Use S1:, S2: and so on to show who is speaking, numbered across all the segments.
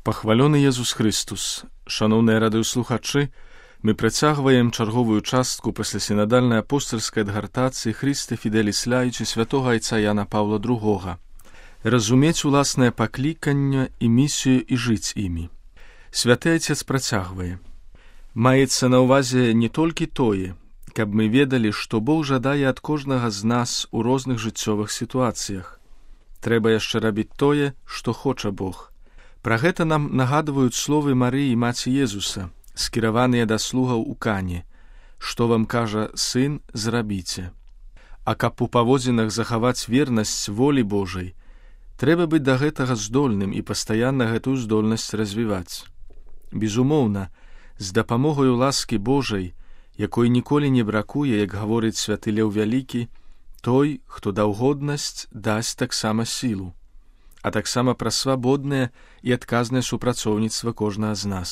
S1: Пахвалёны Езус Христус. Шаноўныя радыёслухачы, мы працягваем чарговую частку паслясінадальнай апостальскай адгартацыі Хрысты Фіделіс Лаічы святога айца Яна Паўла II. Разумець уласнае пакліканне і місію і жыць імі. Святы айцец працягвае. Маецца на ўвазе не толькі тое, каб мы ведалі, што Бог жадае ад кожнага з нас у розных жыццёвых сітуацыях. Трэба яшчэ рабіць тое, што хоча Бог. Пра гэта нам нагадваюць словы Марыі, маці Езуса, скіраваныя да слугаў у Кане. Што вам кажа сын, зрабіце. А каб у паводзінах захаваць вернасць волі Божай, трэба быць да гэтага здольным і пастаянна гэтую здольнасць развіваць. Безумоўна, з дапамогаю ласкі Божай, якой ніколі не бракуе, як гаворыць святы Леў Вялікі, той, хто даў годнасць, дасць таксама сілу, а таксама пра свабоднае і адказнае супрацоўніцтва кожнага з нас.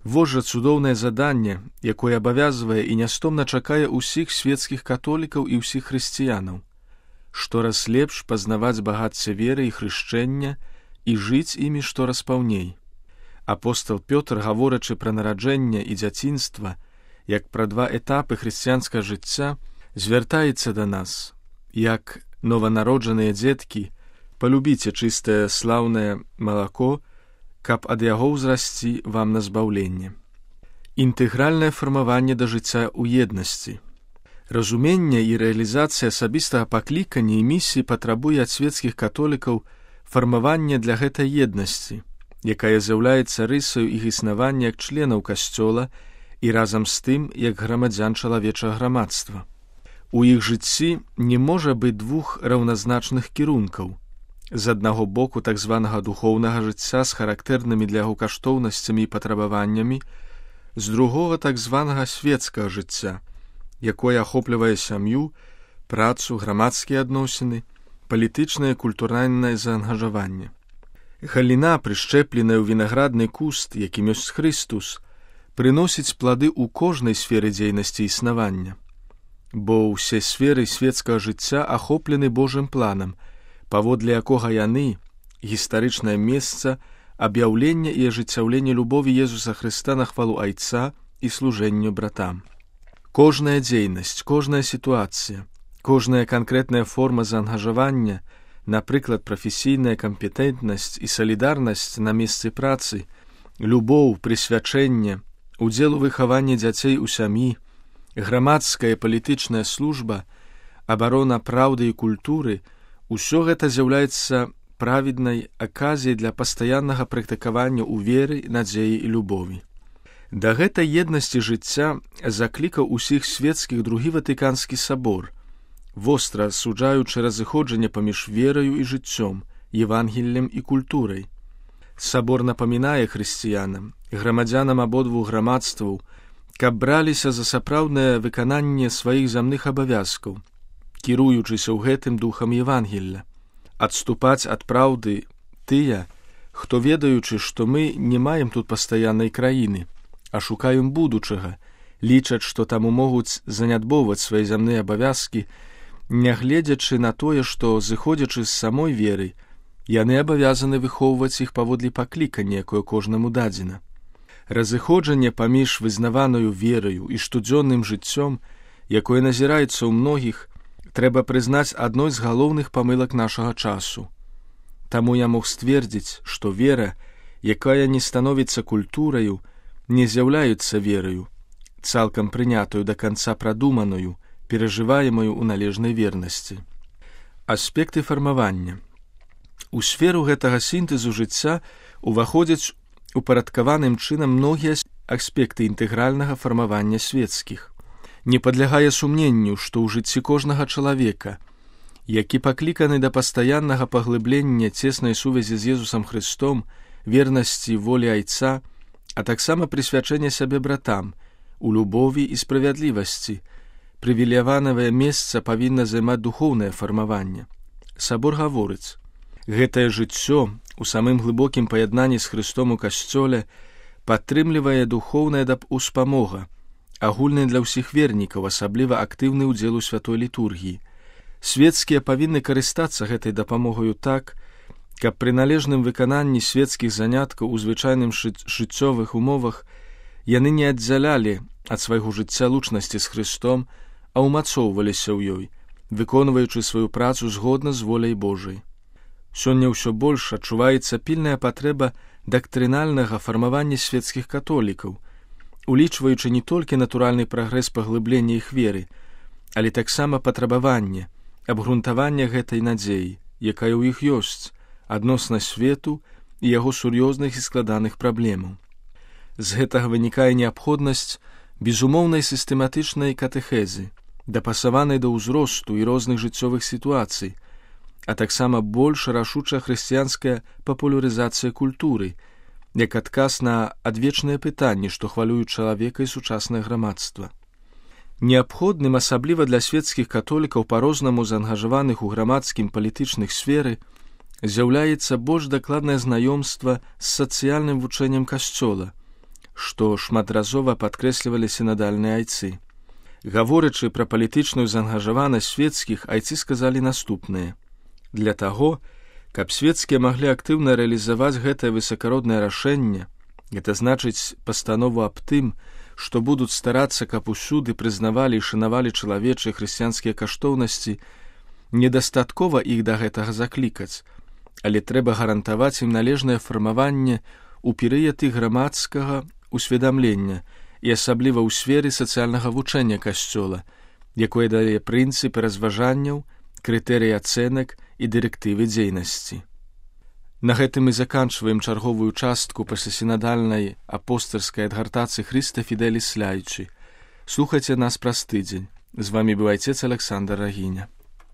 S1: Вось жа цудоўнае заданне, якое абавязвае і нястомна чакае ўсіх свецкіх католікаў і ўсіх хрысціянаў, штораз лепш пазнаваць багацце веры і хрышчэння і жыць імі штораз паўней. Апостал Пётр, гаворачы пра нараджэнне і дзяцінства, як пра два этапы хрысціянскага жыцця, звяртаецца да нас, як нованароджаныя дзеткі, полюбіце чыстае слаўнае малако, каб ад яго ўзрасці вам на збаўленне. Інтэгральнае фармаванне да жыцця ў еднасці. Разуменне і рэалізацыя асабістага паклікання і місіі патрабуе ад свецкіх католікаў фармавання для гэтай еднасці, якая з'яўляецца рысаю іх існавання як членаў касцёла і разам з тым як грамадзян чалавечага грамадства. У іх жыцці не можа быць двух раўназначных кірункаў. З аднаго боку так званага духоўнага жыцця з характэрнымі для яго каштоўнасцямі і патрабаваннямі, з другога так званага светскага жыцця, якое ахоплівае сям'ю, працу, грамадскія адносіны, палітычнае і культуральнае заангажаванне. Галіна, прышчэпленая ў вінаградны куст, якім ёсць Христус, прыносіць плады ў кожнай сферы дзейнасці існавання, бо ўсе сферы светскага жыцця ахоплены Божым планам, паводле якога яны, гістарычнае месца, аб'яўлення і ажыццяўлення любові Езуса Хрыста на хвалу айца і служэнню братам. Кожная дзейнасць, кожная сітуацыя, кожная канкрэтная форма заангажавання, напрыклад, прафесійная кампетэнтнасць і салідарнасць на месцы працы, любоў, прысвячэнне, удзел у выхаванні дзяцей у сям'і, грамадская палітычная служба, абарона праўды і культуры — усё гэта з'яўляецца праведнай аказіяй для пастаяннага практыкавання ў веры, надзеі і любові. Да гэтай еднасці жыцця заклікаў усіх свецкіх другі Ватыканскі сабор, востра асуджаючы разыходжанне паміж вераю і жыццём, евангеллем і культурай. Сабор напамінае хрысціянам, грамадзянам абодвух грамадстваў, каб браліся за сапраўднае выкананне сваіх зямных абавязкаў, кіруючыся ў гэтым духам Евангелля, адступаць ад праўды тыя, хто, ведаючы, што мы не маем тут пастаяннай краіны, а шукаем будучага, лічаць, што таму могуць занядбоўваць свае зямныя абавязкі, нягледзячы на тое, што, зыходзячы з самой веры, яны абавязаны выхоўваць іх паводле паклікання, якое кожнаму дадзена. Разыходжанне паміж вызнаванаю вераю і штодзённым жыццём, якое назіраецца ў многіх, трэба прызнаць адной з галоўных памылак нашага часу. Таму я мог сцвердзіць, што вера, якая не становіцца культураю, не з'яўляецца вераю, цалкам прынятую да канца прадуманую, перажываемую ў належнай вернасці. Аспекты фармавання. У сферу гэтага сінтэзу жыцця уваходзяць упарадкаваным чынам многія аспекты інтэгральнага фармавання свецкіх. Не падлягае сумненню, што ў жыцці кожнага чалавека, які пакліканы да пастаяннага паглыблення цеснай сувязі з Езусам Хрыстом, вернасці волі айца, а таксама прысвячэння сябе братам, у любові і справядлівасці, прывілеяванае месца павінна займаць духоўнае фармаванне. Сабор гаворыць, гэтае жыццё у самым глыбокім паяднанні з Хрыстом у касцёле падтрымлівае духоўная ўспамога, агульны для ўсіх вернікаў, асабліва актыўны ўдзел у святой літургіі. Свецкія павінны карыстацца гэтай дапамогаю так, каб пры належным выкананні свецкіх заняткаў у звычайным жыццёвых умовах яны не аддзялялі ад свайго жыцця лучнасці з Христом, а ўмацоўваліся ў ёй, выконваючы сваю працу згодна з воляй Божай. Сёння ўсё больш адчуваецца пільная патрэба дактрынальнага фармавання свецкіх католікаў, улічваючы не толькі натуральны прагрэс паглыблення іх веры, але таксама патрабаванне, абгрунтавання гэтай надзеі, якая ў іх ёсць, адносна свету і яго сур'ёзных і складаных праблемаў. З гэтага вынікае неабходнасць безумоўнай сістэматычнай катэхезы, дапасаванай да ўзросту і розных жыццёвых сітуацый, а таксама больш рашучая хрысціянская папулярызацыя культуры, як адказ на адвечныя пытанні, што хвалююць чалавека і сучаснае грамадства. Неабходным, асабліва для свецкіх католікаў па-рознаму заангажаваных у грамадскім палітычных сферы, з'яўляецца больш дакладнае знаёмства з сацыяльным вучэннем Касцёла, што шматразова падкрэслівалі сінадальныя айцы. Гаворачы пра палітычную заангажаванасць свецкіх, айцы сказалі наступнае. Для таго, каб свецкія маглі актыўна рэалізаваць гэтае высакароднае рашэнне, гэта значыць пастанову аб тым, што будуць старацца, каб усюды прызнавалі і шанавалі чалавечыя хрысціянскія каштоўнасці, недастаткова іх да гэтага заклікаць, але трэба гарантаваць ім належнае фармаванне ў перыяд іх грамадскага усведамлення і асабліва ў сферы сацыяльнага вучэння Касцёла, якое дае прынцыпы разважанняў, крытэрыі ацэнак і дырэктывы дзейнасці. На гэтым мы заканчваем чарговую частку паслясінадальнай апостальскай адгартацыі Хрыста Фідэліс Ляйчы. Слухайце нас праз тыдзень. З вамі быў айцец Александр Рагіня.